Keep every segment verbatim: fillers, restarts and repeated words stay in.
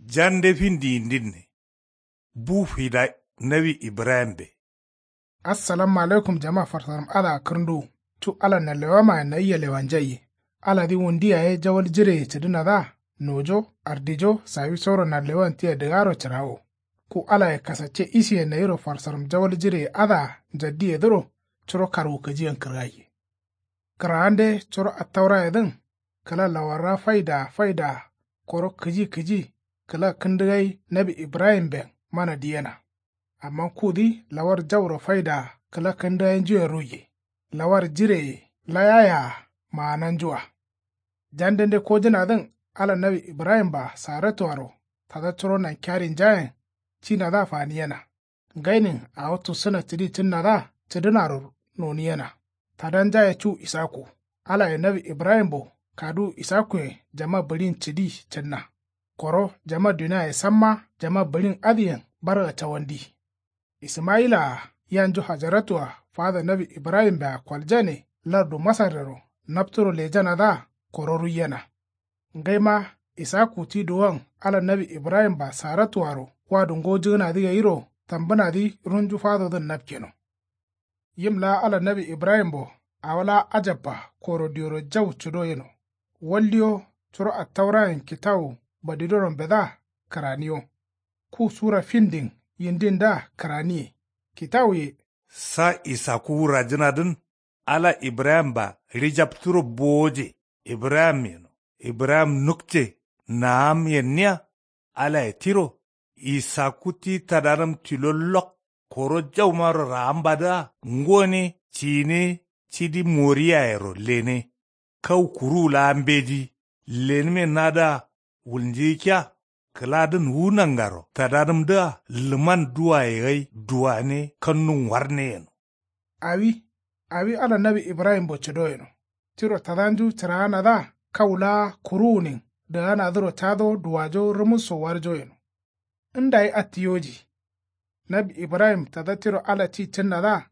Jande findi yindinne. Bu fida nawi ibrahimbe. Assalamu alaikum jama farsaram adǝa kǝrnduwu. Cu ala nanlewamayen nayia lewanjaiye. Aladǝ wundu yaye jawal jireye cǝdǝnadǝa nojo ardijo sawisoro nanlewan tia dǝgaro cǝrawo. Ku alaye kasacce isiye nayiro farsaram jawal jireye adǝa njaddiyedǝro curo karwukǝjiyen kǝrgaiye. Kǝraande curo attaurayedǝn kǝla lawarra faidaa faidaa koro kǝji kǝji kǝla kǝndǝgai nawi ibrahimben mana diyena. Amma kudǝ lawar jauro faidaa kǝla kǝndǝgainjuyen ruiye. Lawar jireye layayaa maananjua. Jandende kojǝnadǝn ala nawi ibrahimba saratuaro tada curo nankiyarinjayen cinadǝa faniyena. Ngainin awo tussǝna cǝdi cǝnnadǝa cǝdǝnaro noniyena. Tadanjaye cu isaku. Alaye nawi ibrahimbo kaduwu isakuyen jama bǝɍin cǝdi cǝnna. Koro jama duniaye samma jama bǝɍin adǝyen barga cawandi. Ismayila-a yanju hajaratua fada nawi ibrahimbe-a koljane lardu masarrero napturo lejanadǝa koro ruiyena. Ngaima isaku ti duwon ala nawi ibrahimba saratuaro wadu ngojǝgǝnadǝ gairo tambǝnadǝ runju fadodǝn napkeno. Yim laa ala nawi ibrahimbo awo laa ajabba koro dioro jau cǝdo yeno. Waldiyo curo attaurayen kitawu badidoronbedǝa kǝraniyo. Ku sura findin yindindǝa kǝraniye. Kitawuye. Sa isaku wurajǝnadǝn ala ibrahimba ɍijapturo bowoje. Ibrahim yeno ibrahim nukce naam yenniya. Alaye tiro isaku ti tadanǝm tilo lok koro jaumaro raambadǝa ngone cine cidi moriyayero lene. Kau kuruwu laa mbeji lenǝme nadǝa wulnjǝgǝkkiya. Kǝladǝn wu nangaro tadanǝmdǝa lǝman duwaye gai duwane kannu ngwarne yeno. Awi awi ala nawi ibrahimbo cǝdo yeno. Tiro tadanju cǝraanadǝa kau laa kuruwunin dǝganadǝro cado duwajo rǝmǝsso warjo yeno. Ndayi attiyoji. Nawi ibrahim tada tiro ala ti cǝnnadǝa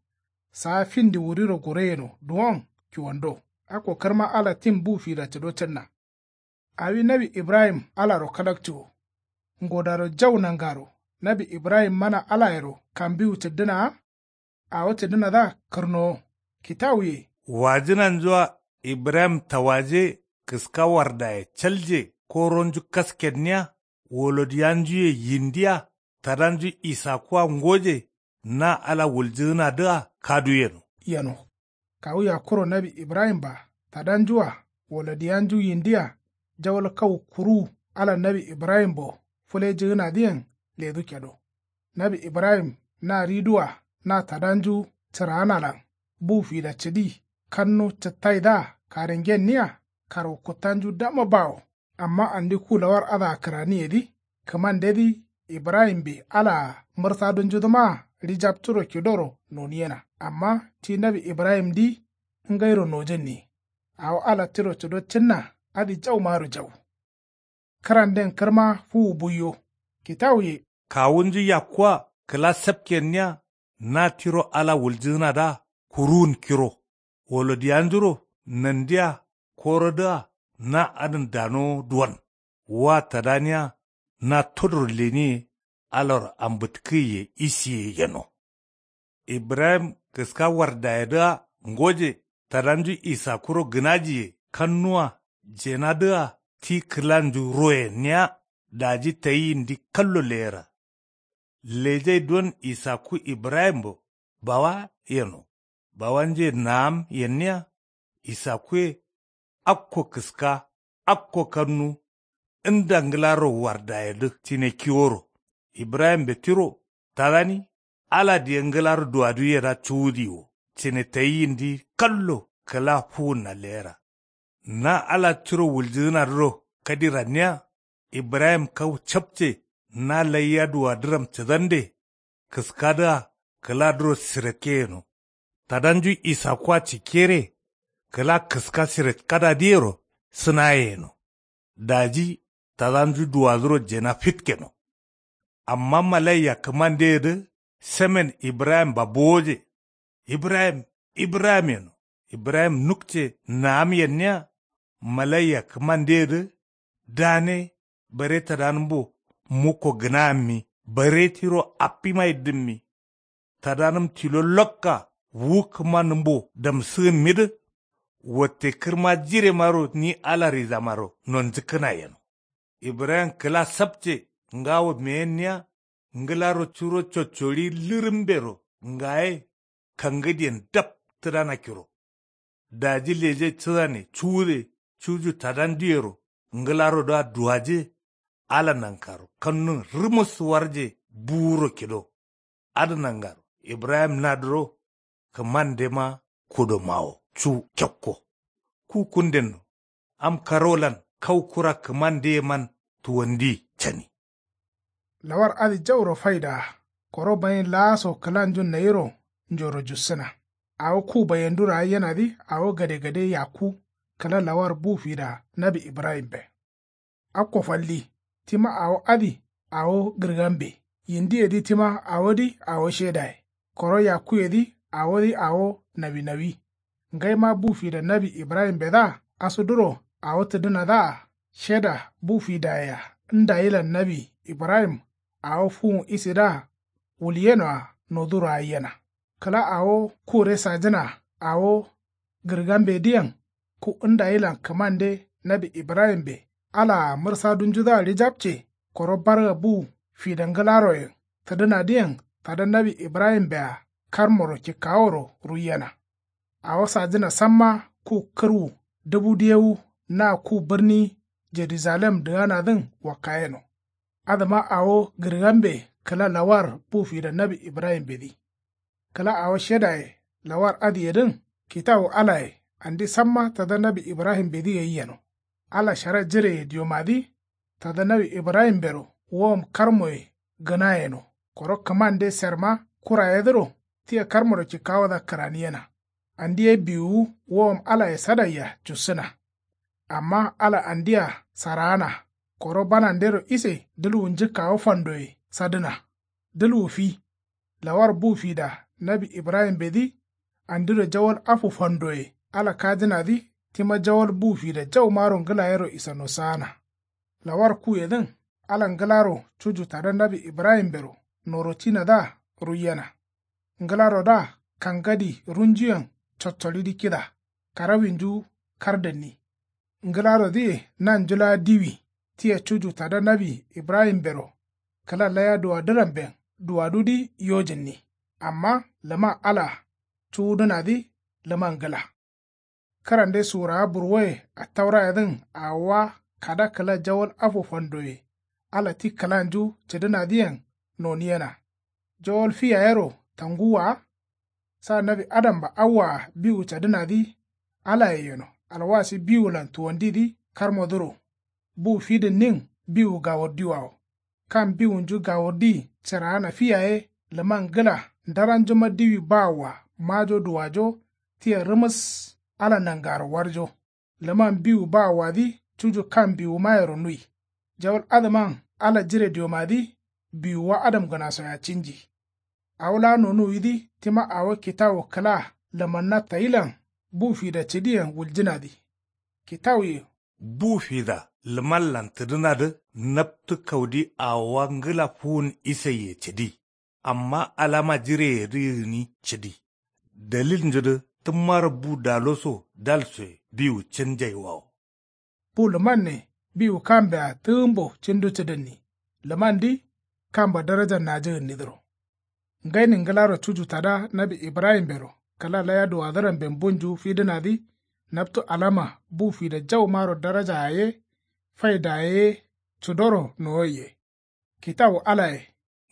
saa findi wuriro gure yeno duwon kiwando. Akko kǝrma ala tin bu fida cǝdo cǝnna. Awi nawi ibrahim alaro kalakciwo. Ngodaro jau nangaro nawi ibrahim mana alayero kambiwu cǝddǝnaa. Awo cǝdǝnadǝa kǝrnowo. Kitawuye. Wajǝnanjua ibrahim tawaje kǝska wardaye calje koronju kaskenniya. Wolodiyanjuye yindiya tadanju isakua ngoje na ala wuljǝgǝnadǝa kadu yeno. Yeno. Kawu yakkuro nawi ibrahimba tadanjua wolodiyanju yindiya jawal kau kuruwu ala nawi ibrahimbo fǝlejǝgǝnadǝyen ledu kedo. Nawi ibrahim na ridua na tadanju cǝraanalan bu fida cǝdi kannu cǝttaidǝa karengenniya karwukkǝttanju dama bawo. Amma andi ku lawar adǝa kǝraniyedǝ kǝmandedǝ ibrahimbe alaa mǝrsadunjudǝmaa ɍijapturo kidoro noniyena. Amma ti nawi ibrahimdǝ ngairo nojǝnni. Awo ala tiro cǝdo cǝnna adǝ jaumaro jau. Kǝranden kǝrma fuwu buiyo. Kitawuye. Kawunju yakkua kǝla sapkenniya na tiro ala wuljǝgǝnadǝa kuruwun kiro. Wolodiyanjuro nandiya korodǝa na adǝn danowo duwon. Wa tadaniya na todoro leniye alaro ambǝtkǝgǝye isiye yeno. Ibrahim kǝska wardayedǝa ngoje tadanju isakuro gǝnajiye kannuwa jenadǝa ti kǝlanju royenniya. Daji tayi yindi kallo leyera. Lejai don isakku ibrahimbo bawa yeno. Bawanje naam yenniya. Isakkuye akko kǝska akko kannu nda ngǝlaro wardayedǝ cine kiworo. Ibrahimbe tiro tadani ala diye ngǝlaro duwaduyedǝa cuwudi wo cine tayi yindi kallo kǝla fuwunna leyera. Na ala tiro wuljǝgǝnadǝro kadiranniya. Ibrahim kau capce na laiya duwadǝram cǝdande kǝskadǝa kǝladǝro sirekke yeno. Tadanju isakkua cikkere kǝla kǝska sirekkadadǝyero sǝnaye yeno. Daji tadanju duwadǝro jena fitkeno. Amma malaiya kǝmandeyedǝ semen ibrahimba bowoje. Ibrahim ibrahim yeno. Ibrahim nukce naam yenniya. Malaiya kǝmandeyedǝ dane bare tadanǝmbo mukko gǝnayammi bare tiro affimaye dǝmmi. Tadanǝm tilo lokka wu kǝma nǝmbo damsǝgǝmmidǝ. Watte kǝrma jiremaro ni ala rizamaro nonjǝkkǝna yeno. Ibrahim kǝla sapce ngawo meyenniya. Ngǝlaro curo coccoɍi lǝrǝmbero ngaye kangǝdiyen dap tǝdana kiro. Daji leje cǝdane cuwude cuju tadanduyero ngǝlarodǝa duwaje. Ala nankaro kannun rǝmǝs warje buwuro kido. Adǝ nangaro ibrahim nadǝro kǝmandema kudomawo cu kekko. Ku kundenno am karolan kau kura kǝmandeyeman tuwandi cani. Lawar adǝ jauro faidaa koro bayin laaso kǝlanju nayiro njoro jussǝna. Awo ku bayenduro aiyenadǝ awo gadegade yakku kǝla lawar bu fida nawi ibrahimbe. Akko falli tima awo adǝ awo gǝrgambe. Yindiyedǝ tima awodǝ awo shedaye koro yakkuyedǝ awodǝ awo nawinawi. Ngaima bu fida nawi ibrahimbedǝa asuduro awo tǝdǝnadǝa sheda bu fidayea ndayilan nawi ibrahim awo fuwun isidǝa wulyenoa noduro aiyena. Kǝla awo kure sajǝna awo gǝrgambedǝyen ku ndayilan kǝmande nawi ibrahimbe alaa mǝrsadunjudǝa ɍijapce koro barga bu fida ngǝlaroyen tǝdǝnadǝyen tada nawi ibrahimbea karmoro kikkaworo ruiyena. Awo sajǝna samma ku kǝrwu dǝbu diyewu na ku bǝrni jerujalem dǝganadǝn wakkayeno. Adǝma awo gǝrgambe kǝla lawar bu fida nawi ibrahimbedǝ. Kǝla awo shedaye lawar adǝyedǝn kitawu alaye andi samma tada nawi ibrahimbedǝ gai yeno. Ala shara jireye diomadǝ tada nawi ibrahimbero wowom karmoye gǝna yeno. Koro kǝmande serma kurayedǝro tia karmoro kikkawodǝa kǝraniyena. Andi ye biwuwu wowom alaye sadaiya cussǝna. Amma ala andia saraana koro banandero ise dǝlwu njǝkkawo fandoye sadǝna. Dǝlwu fi lawar bu fida nawi ibrahimbedǝ andiro jawal afu fandoye ala kajǝnadǝ tima jawal bu fida jaumaro ngǝlayero isano saana. Lawar kuyedǝn ala ngǝlaro cuju tada nawi ibrahimbero norotinadǝa ruiyena. Ngǝlarodǝa kangadi runjuyen coccoɍidǝ kida karawinju kardǝnni. Ngǝlarodǝye nanju laa diwi tia cuju tada nawi ibrahimbero kǝla laya duwadǝramben duwadudǝ yojǝnni. Amma lǝman ala cuwudǝnadǝ lǝman ngǝla. Kǝrande surawa burwoye attaurayedǝn awowa kada kǝla jawal afu fandoye ala ti kǝlanju cǝdǝnadǝyen noniyena. Jawal fi yayero tanguwwa wa. Sa nawi adamba awwaa biwu cadǝnadǝ alaye yeno alwasi biwulan tuwandidǝ karmodǝro. Bu fidǝnnin biwu gawurdiwawo. Kam biwunju gawurdi cǝraana fi yaye lǝman ngǝla ndaranjuma diwi bawoa majo duwajo tia rǝmǝs ala nangaro warjo. Lǝman biwu bawoadǝ cuju kam biwumayero nui. Jawal adǝman ala jire diomadǝ biwuwa adamgǝnasoyea cinji. Awo laa nonuwidǝ tima awo kitawu kǝla lǝmanna tayilan bu fida cǝdiyen wuljǝnadǝ. Kitawuye bu fida lǝmanlan tǝdǝnadǝ naptǝ kaudi awowa ngǝla fuwun isaiye cǝdi. Amma alama jireyedǝ gǝni cǝdi. Daliljudǝ tǝmmaro bu daloso dalsoye biwu cǝnjaiwawo. Bu lǝmanne biwu kambea tǝgǝmbo cǝndu cǝdǝnni. Lǝmandǝ kamba darajan najǝgǝnnidǝro. Ngaini ngǝlaro cuju tada nawi ibrahimbero kǝla laya duwadǝramben bunju fidǝnadǝ naptu alama bu fida jaumaro daraja yaye faidaye ye cudoro nowoiye. Kitawu alaye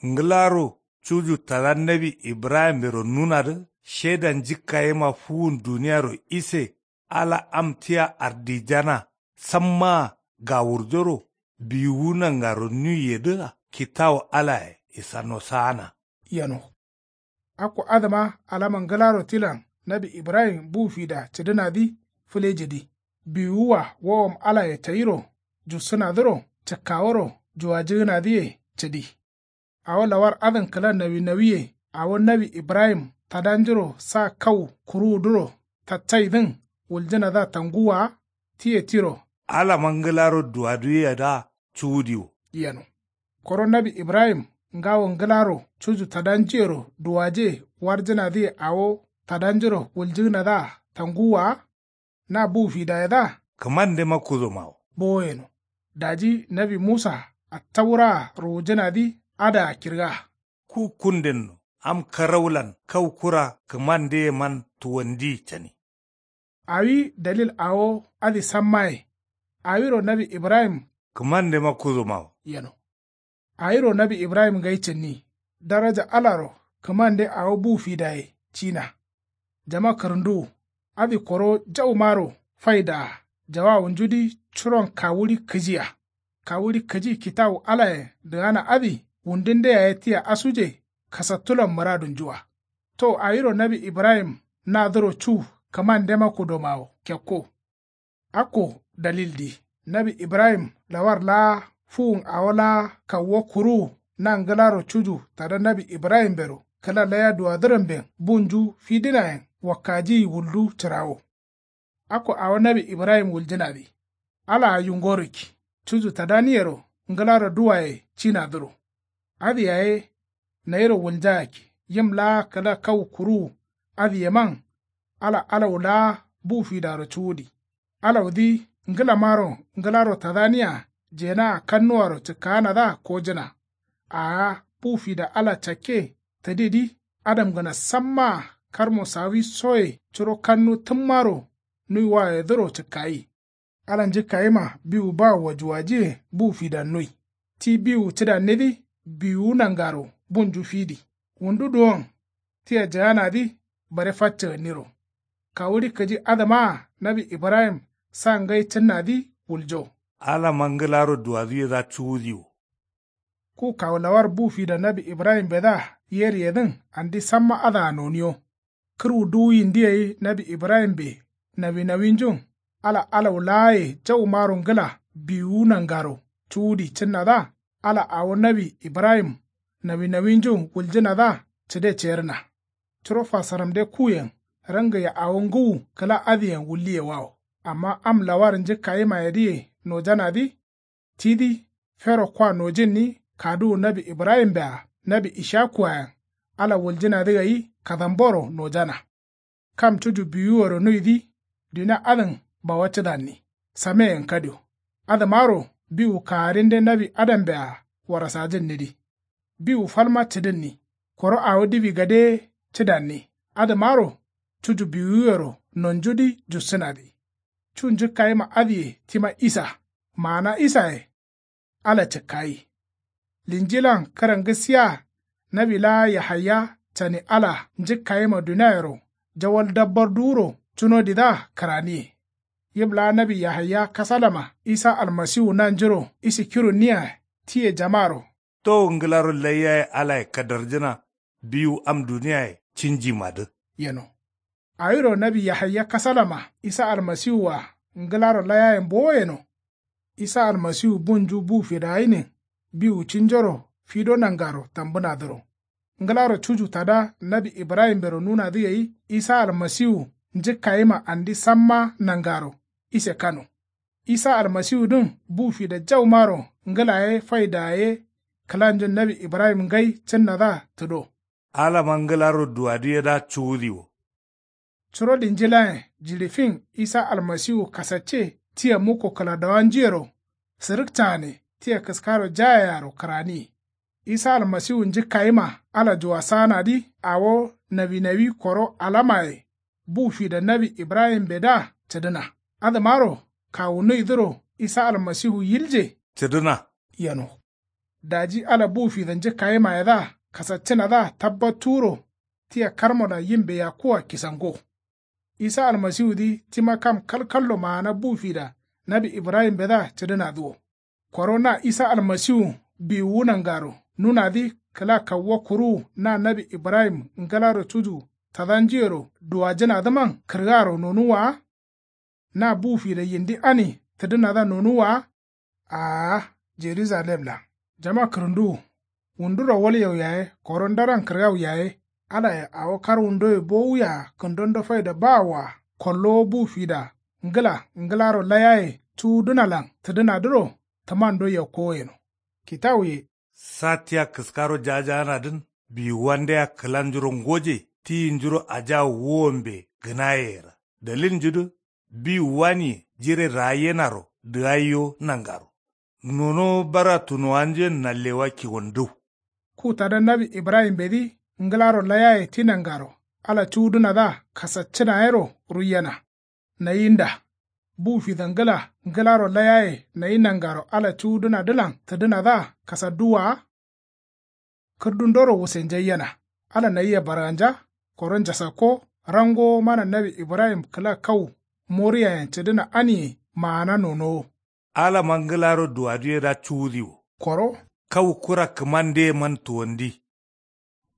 ngǝlaro cuju tada nawi ibrahimbero nunadǝ sheda njǝkkayema fuwun duniyaro ise ala am tia ardijana sammaa gawurjoro biwuwu nangaro nuiyedǝa kitawu alaye isano saana. Yeno. Akko adǝma alama ngǝlaro tilan nawi ibrahim bu fida cǝdǝnadǝ fǝlejidǝ. Biwuwua wowom alaye tayiro jussǝnadǝro cǝkkaworo juwajǝgǝnadǝye cǝdi. Awo lawar adǝn kǝla nawinawiye awo nawi ibrahim tadanjuro sa kau kuruwuduro taccaidǝn wuljǝnadǝa tanguwwa wa. Tiye tiro alama ngǝlaro duwaduwiyedǝa cuwudiwo yeno. Koro nawi ibrahim ngawo ngǝlaro cuju tadanjuyero duwaje warjǝnadǝye awo tadanjuro wuljǝgǝnadǝa tanguwwa wa? Na bu fidayedǝa kǝmandema kudomawo bowo yeno. Daji nawi musa attauraa ruwujǝnadǝ adǝa kirga. Ku kundenno am karaulan kau kura kǝmandeyeman tuwandiyi cani. Awi dalil awo adǝ sammaye. Awiro nawi ibrahim kǝmandema kudomawo yeno. Awiro nawi ibrahim ngai cǝnni. Daraja alaro kǝmande awo bu fidaye cina. Jama kǝrǝnduwu adǝ koro jaumaro faidaa jawawunjudǝ curon kawuɍi kǝjia. Kawuɍi kǝji kitawu alayen dǝgana adǝ wundunde yaye tia asuje kasattulan mǝradunjua. To awiro nawi ibrahim nadǝro cu kǝmandema kudomawo kekko. Akko dalildǝ nawi ibrahim lawar laa fuwun awo laa kauwo kuruwu na ngǝlaro cuju tada nawi ibrahimbero kǝla laya duwadǝramben bunju fidǝnayen wakkajiyi wuldu cǝrawo. Akko awo nawi ibrahim wuljǝnadǝ alaa yungo rǝkki cuju tadaniyero ngǝlaro duwaye cinadǝro. Adǝ yaye nayiro wulnjayakki yim laa kǝla kau kuruwu adǝyeman. Ala alau laa bu fidaro cuwudi alaudǝ ngǝlamaro ngǝlaro tadaniya jenaa kannuwaro cǝkkaanadǝa kojǝna. Aa bu fida ala cakke tǝdidǝ adamgǝna sammaa karmo sawi soye curo kannu tǝmmaro nuiwayedǝro cǝkkayi. Ala njǝkkayima biwu bawo wajuwajiye bu fidan nui. Ti biwu cǝdannidǝ biwuwu nangaro bunju fidi. Wundu duwon tia jǝganadǝ bare faccǝgǝnniro. Kawuɍi kǝji adǝmaa nawi ibrahim sa ngai cǝnnadǝ wuljo. Alama ngǝlaro duwaduwedǝa cuwudi wo. Ku kawu lawar bu fida nawi ibrahimbedǝa yeriyedǝn andi samma adǝa noniyo. Kǝrwu duwu yindi gai nawi ibrahimbe nawinawinjun ala alau laaye jaumaro ngǝla biwuwu nangaro cuwudi cǝnnadǝa ala awo nawi ibrahim nawinawinjun wuljǝnadǝa cǝde cerǝna. Curo fasaramde kuyen rangaiya awo ngǝwu kǝla adǝyen wulliyewawo. Amma am lawar njǝkkayimayedǝye nojanadǝ tidǝ fero kwa nojǝnni kaduwu nawi ibrahimbea nawi ishakuayen ala wuljǝnadǝ gai kadamboro nojana. Kam cuju biwuwero nuidǝ dunia adǝn bawa cǝdanni sameyen kadio. Adǝmaro biwu kagarinde nawi adambea warasajǝnnidǝ biwu falma cǝdǝnni. Koro awo diwi gade ye cǝdanni adǝmaro cuju biwuwero nonjudǝ jussǝnadǝ. Cu njǝkkayima adǝye tima isa maana isaye ala cǝkkayi. Linjilan kǝrangǝssiya nawi laa yahaya cani ala njǝkkayima duniayero jawal dabbar duwuro cunodidǝa kǝraniye. Yim laa nawi yahaya kasalama isa almasiwu nanjuro isikirunniya tiye jamaro. Towu ngǝlaro laiyaye alaye kadarjǝna biwu am duniyaye cinjimadǝ yeno. Awiro nawi yahaya kasalama isa almasiwua ngǝlaro layayen bowo yeno. Isa almasiwu bunju bu fidagǝnin biwu cinjoro fido nangaro tambǝnadǝro. Ngǝlaro cuju tada nawi ibrahimbero nunadǝ gai isa almasiwu njǝkkayima andi samma nangaro ise kano. Isa almasiwudǝn bu fida jaumaro ngǝla ye faida ye kǝlanjun nawi ibrahim ngai cǝnnadǝa tǝdo. Alama ngǝlaro duwaduwedǝa cuwudi wo. Curo linjilayen jiɍi fin isa almasiwu kasacce tia mukko kǝladawanjuyero sǝrǝkcagane tia kǝskaro jayearo kǝraniye. Isa almasiwu njǝkkayima ala juwasaanadǝ awo nawinawi koro alamaye bu fida nawi ibrahimbedǝa cǝdǝna. Adǝmaro kawu nuidǝro isa almasiwu yilje cǝdǝna yeno. Daji ala bu fida njǝkkayimayedǝa kasaccǝnadǝa tabbattuwuro tia karmolan yimbe yakkuwa kisango. Isa almasiwudǝ tima kam kalkallo maana bu fida nawi ibrahimbedǝa cǝdǝnadǝ wo. Koro na isa almasiwu biwuwu nangaro nunadǝ kǝla kauwa kuruwu na nawi ibrahim ngǝlaro cuju tadanjuyero duwajǝnadǝman kǝrgaro nonuwwa wa? Na bu fida yindi ani tǝdǝnadǝa nonuwwa wa? Aa jerujalemlan jama kǝrǝnduwu wunduro walyau yaye koro ndaran kǝrgau yaye alaye awo karwundoye bowuya kǝndondo faida bawoa kollowo bu fida ngǝla ngǝlaro layaye cuwudǝnalan tǝdǝnadǝro tǝmando yakkowo yeno. Kitawuye Sa tia kǝskaro jajaanadǝn biwuwandea kǝlanjuro ngoje tiyinjuro ajawo wuwombe gǝnayeyera. Dalilnjudǝ biwuwaniye jire raayyenaro dǝgaiyo nangaro. Nonowo bara tunowanjuyen nallewa kiwandǝw. Ku tada nawi ibrahimbedǝ ngǝlaro layaye ti nangaro ala cuwudǝnadǝa kasaccǝna yero ruiyena. Nayinda bu fidangǝla ngǝlaro layaye nayi nangaro ala cuwudǝnadǝlan tǝdǝnadǝa kasadduwwa wa. Kǝrdundoro wusenjaiyena. Ala nayia barganja koro njasakko. Rangowo mana nawi ibrahim kǝla kau moriyayen cǝdǝna aniye maana nonowo. Alama ngǝlaro duwaduye da cuwudiwo. Koro kau kura kǝmandeyeman tuwandi.